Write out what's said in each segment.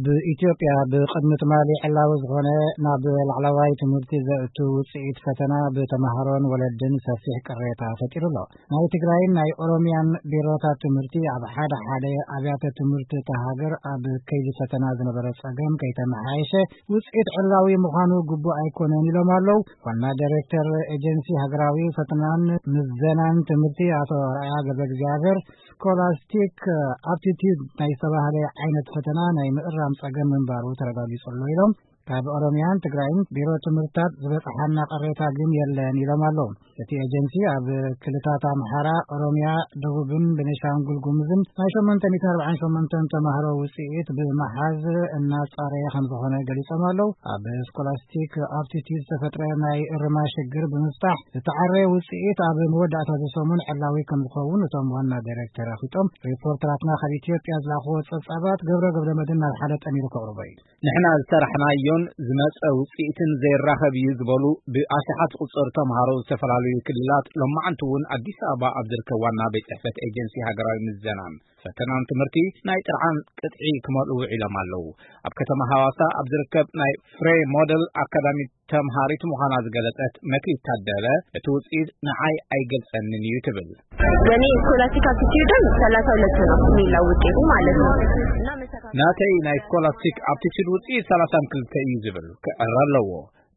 ብኢትዮጵያ ብቕድሚ ትማሊ ዕላዊ ዝኾነ ናብ ላዕለዋይ ትምህርቲ ዘእቱ ውፅኢት ፈተና ብተምሃሮን ወለድን ሰፊሕ ቅሬታ ፈጢሩ ኣሎ። ናይ ትግራይን ናይ ኦሮሚያን ቢሮታት ትምህርቲ ኣብ ሓደ ሓደ ኣብያተ ትምህርቲ እታ ሃገር ኣብ ከይዲ ፈተና ዝነበረ ፀገም ከይተመሓየሸ ውፅኢት ዕላዊ ምዃኑ ግቡእ ኣይኮነን ኢሎም ኣለዉ። ዋና ዳይሬክተር ኤጀንሲ ሃገራዊ ፈተናን ምዘናን ትምህርቲ ኣቶ ኣርኣያ ገብረ እግዚኣብሔር፣ ስኮላስቲክ ኣፕቲቲዩድ ናይ ዝተባህለ ዓይነት ፈተና ናይ ምእራም ጸገም ምንባሩ ተረጋጊጹ ኣሎ ኢሎም። ካብ ኦሮሚያን ትግራይን ቢሮ ትምህርታት ዝበጽሓና ቅሬታ ግን የለን ኢሎም ኣለዉ። እቲ ኤጀንሲ ኣብ ክልታት ኣምሓራ፣ ኦሮሚያ፣ ደቡብን ቤኒሻንጉል ጉሙዝን ናይ ሸሞንተ ሚእትን ኣርባዓን ሸሞንተን ተማሃሮ ውጽኢት ብምሓዝ እናጻረየ ከም ዝኾነ ገሊጾም ኣለዉ። ኣብ ስኮላስቲክ ኣፕቲቲዩድ ዝተፈጥረ ናይ እርማ ሽግር ብምፍታሕ ዝተዓረየ ውጽኢት ኣብ መወዳእታ እዚ ሰሙን ዕላዊ ከም ዝኸውን እቶም ዋና ዳይሬክተር ኣፍሊጦም። ሪፖርተራትና ካብ ኢትዮጵያ ዝላኽዎ ጸብጻባት ገብረ ገብረ መድህን ናብ ሓደ ጠሚሩ ከቕርቦ እዩ። ንሕና ዝሰራሕናዮን ዝመጸ ውጽኢትን ዘይራኸብ እዩ ዝበሉ ብኣሽሓት ዝቑጸሩ ተምሃሮ ዝተፈላለዩ ክልላት ሎማዓንቲ እውን ኣዲስ ኣበባ ኣብ ዝርከብ ዋና ቤት ጽሕፈት ኤጀንሲ ሃገራዊ ምዘናን ፈተናን ትምህርቲ ናይ ጥርዓን ቅጥዒ ክመልኡ ውዒሎም ኣለዉ። ኣብ ከተማ ሃዋሳ ኣብ ዝርከብ ናይ ፍሬ ሞደል ኣካዳሚ ተምሃሪት ምዃና ዝገለጸት መክሊት ታደለ እቲ ውጽኢት ንዓይ ኣይገልጸንን እዩ ትብል። በእኔ ስኮላስቲክ አፕቲቲዩድም ሰላሳ ሁለት ነው የሚለው ውጤቱ ማለት ነው። እና መሰካከል ናተይ ናይ ስኮላስቲክ ኣፕቲቱድ ውፅኢት ሰላሳን ክልተ እዩ ዝብል ክዕረ ኣለዎ።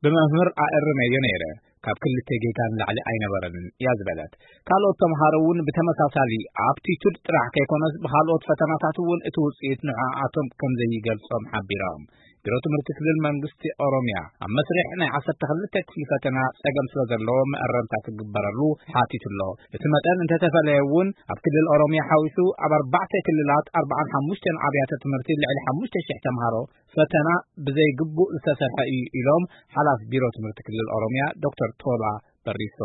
ብመምህር ኣእርመዮ ነይረ። ካብ ክልተ ጌጋ ንላዕሊ ኣይነበረንን እያ ዝበለት። ካልኦት ተምሃሮ እውን ብተመሳሳሊ ኣፕቲቱድ ጥራሕ ከይኮነስ ብካልኦት ፈተናታት እውን እቲ ውፅኢት ንዕኣቶም ከም ዘይገልጾም ሓቢሮም። ቢሮ ትምህርቲ ክልል መንግስቲ ኦሮሚያ ኣብ መስርሕ ናይ ዓሰርተ ክልተ ክፍሊ ፈተና ጸገም ስለ ዘለዎ መእረምታ ክግበረሉ ሓቲቱ ኣሎ። እቲ መጠን እንተተፈለየ እውን ኣብ ክልል ኦሮሚያ ሓዊሱ ኣብ ኣርባዕተ ክልላት ኣርባዓን ሓሙሽተን ኣብያተ ትምህርቲ ልዕሊ ሓሙሽተ ሽሕ ተምሃሮ ፈተና ብዘይግቡእ ዝተሰርሐ እዩ ኢሎም ሓላፊ ቢሮ ትምህርቲ ክልል ኦሮሚያ ዶክተር ቶላ በሪሶ።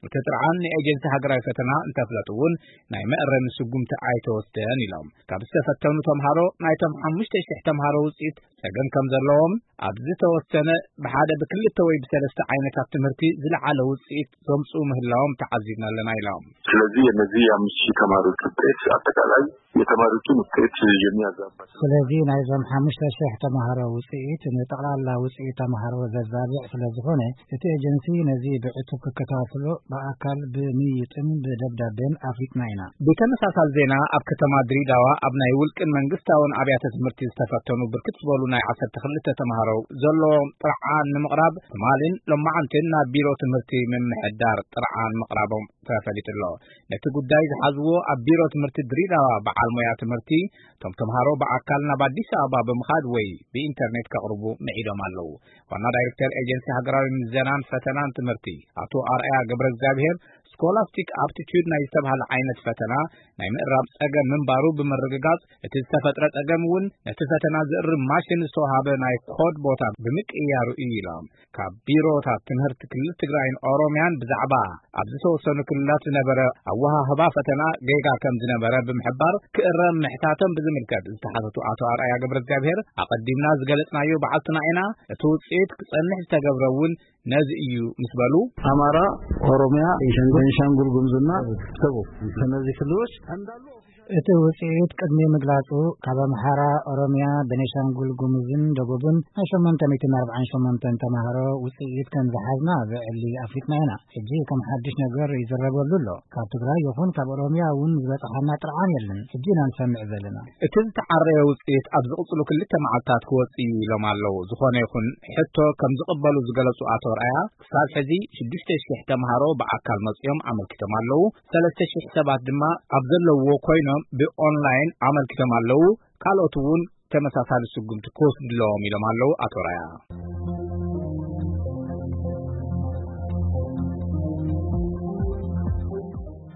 እቲ ጥርዓን ንኤጀንሲ ሃገራዊ ፈተና እንተፍለጡ እውን ናይ መእረሚ ስጉምቲ ኣይተወስደን ኢሎም። ካብ ዝተፈተኑ ተምሃሮ ናይቶም ሓሙሽተ ሽሕ ተምሃሮ ውፅኢት ጸገም ከም ዘለዎም ኣብ ዝተወሰነ ብሓደ ብክልተ ወይ ብሰለስተ ዓይነታት ትምህርቲ ዝለዓለ ውፅኢት ዘምፅኡ ምህላዎም ተዓዚብና ኣለና ኢሎም። ስለዚህ የነዚህ የአምስት ሺህ ተማሪዎች ውጤት አጠቃላይ የተማሪዎችን ውጤት የሚያዛባ ስለዚህ ናይዞም ሓሙሽተ ሽሕ ተምሃሮ ውፅኢት ንጠቕላላ ውፅኢት ተምሃሮ ዘዛብዕ ስለ ዝኾነ እቲ ኤጀንሲ ነዚ ብዕቱብ ክከታተሎ ብኣካል ብምይጥን ብደብዳቤን ኣፍሊጥና ኢና። ብተመሳሳሊ ዜና ኣብ ከተማ ድሬዳዋ ኣብ ናይ ውልቅን መንግስታውን ኣብያተ ትምህርቲ ዝተፈተኑ ብርክት ዝበሉ ናይ ዓሰርተ ክልተ ተምሃሮ ዘለዎም ጥርዓን ንምቕራብ ትማልን ሎማዓንትን ናብ ቢሮ ትምህርቲ ምምሕዳር ጥርዓን ምቕራቦም ተፈሊጡ ኣሎ። ነቲ ጉዳይ ዝሓዝዎ ኣብ ቢሮ ትምህርቲ ድሬዳዋ በዓል ሞያ ትምህርቲ እቶም ተምሃሮ ብኣካል ናብ ኣዲስ ኣበባ ብምኻድ ወይ ብኢንተርኔት ከቕርቡ ምዒዶም ኣለዉ። ዋና ዳይሬክተር ኤጀንሲ ሃገራዊ ምዘናን ፈተናን ትምህርቲ ኣቶ ኣርኣያ ገብረ እግዚኣብሔር ስኮላስቲክ ኣፕቲቱድ ናይ ዝተባህለ ዓይነት ፈተና ናይ ምእራም ጸገም ምንባሩ ብምርግጋጽ እቲ ዝተፈጥረ ጸገም እውን ነቲ ፈተና ዝእርም ማሽን ዝተዋሃበ ናይ ኮድ ቦታ ብምቅያሩ እዩ ኢሎም። ካብ ቢሮታት ትምህርቲ ክልል ትግራይን ኦሮሚያን ብዛዕባ ኣብ ዝተወሰኑ ክልላት ዝነበረ ኣወሃህባ ፈተና ጌጋ ከም ዝነበረ ብምሕባር ክእረም ምሕታቶም ብዝምልከት ዝተሓተቱ ኣቶ ኣርኣያ ገብረ እግዚኣብሔር ኣቐዲምና ዝገለጽናዮ በዓልትና ኢና። እቲ ውፅኢት ክጸንሕ ዝተገብረ እውን ነዚ እዩ ምስ በሉ ኣማራ፣ ኦሮሚያ፣ ቤንሻንጉል ጉሙዝና ደቡብ እነዚህ ክልሎች እንዳሉ እቲ ውፅኢት ቅድሚ ምግላፁ ካብ ኣምሓራ፣ ኦሮሚያ፣ ቤኒሻንጉል ጉሙዝን ደቡብን ናይ ሸሞንተ ሚእትን ኣርባዓን ሸሞንተን ተምሃሮ ውፅኢት ከም ዝሓዝና ብዕሊ ኣፍሊጥና ኢና። ሕጂ ከም ሓድሽ ነገር ይዝረበሉ ኣሎ። ካብ ትግራይ ይኹን ካብ ኦሮሚያ እውን ዝበፅሓና ጥርዓን የለን። ሕጂ ኢና ንሰምዕ ዘለና። እቲ ዝተዓረየ ውፅኢት ኣብ ዝቕፅሉ ክልተ መዓልታት ክወፅእ እዩ ኢሎም ኣለዉ። ዝኾነ ይኹን ሕቶ ከም ዝቕበሉ ዝገለፁ ኣቶ ርኣያ ክሳብ ሕዚ ሽዱሽተ ሽሕ ተምሃሮ ብኣካል መፂኦም ኣመልኪቶም ኣለዉ። ሰለስተ ሽሕ ሰባት ድማ ኣብ ዘለውዎ ኮይኖም ብኦንላይን ኣመልኪቶም ኣለዉ። ካልኦት እውን ተመሳሳሊ ስጉምቲ ክወስዱ ኣለዎም ኢሎም ኣለዉ ኣቶ ርኣያ።